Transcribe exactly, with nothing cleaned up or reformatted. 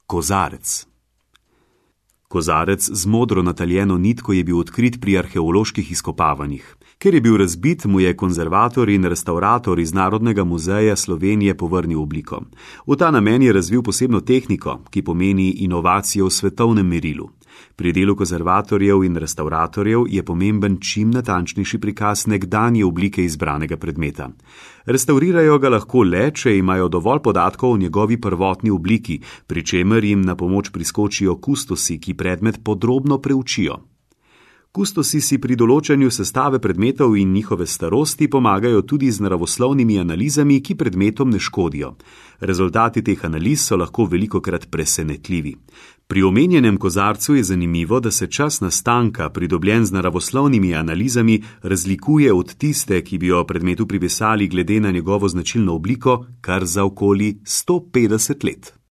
Kozarec. Kozarec z modro nataljeno nitko je bil odkrit pri arheoloških izkopavanjih. Ker je bil razbit, mu je konzervator in restavrator iz Narodnega muzeja Slovenije povrnil obliko. V ta namen je razvil posebno tehniko, ki pomeni inovacijo v svetovnem merilu. Pri delu konzervatorjev in restavratorjev je pomemben čim natančnejši prikaz nekdanje oblike izbranega predmeta. Restaurirajo ga lahko le, če imajo dovolj podatkov o njegovi prvotni obliki, pri čemer jim na pomoč priskočijo kustosi, ki predmet podrobno preučijo. Kustosi si pri določanju sestave predmetov in njihove starosti pomagajo tudi z naravoslovnimi analizami, ki predmetom ne škodijo. Rezultati teh analiz so lahko velikokrat presenetljivi. Pri omenjenem kozarcu je zanimivo, da se čas nastanka, pridobljen z naravoslovnimi analizami, razlikuje od tiste, ki bi jo predmetu pripisali glede na njegovo značilno obliko, kar za okoli sto petdeset let.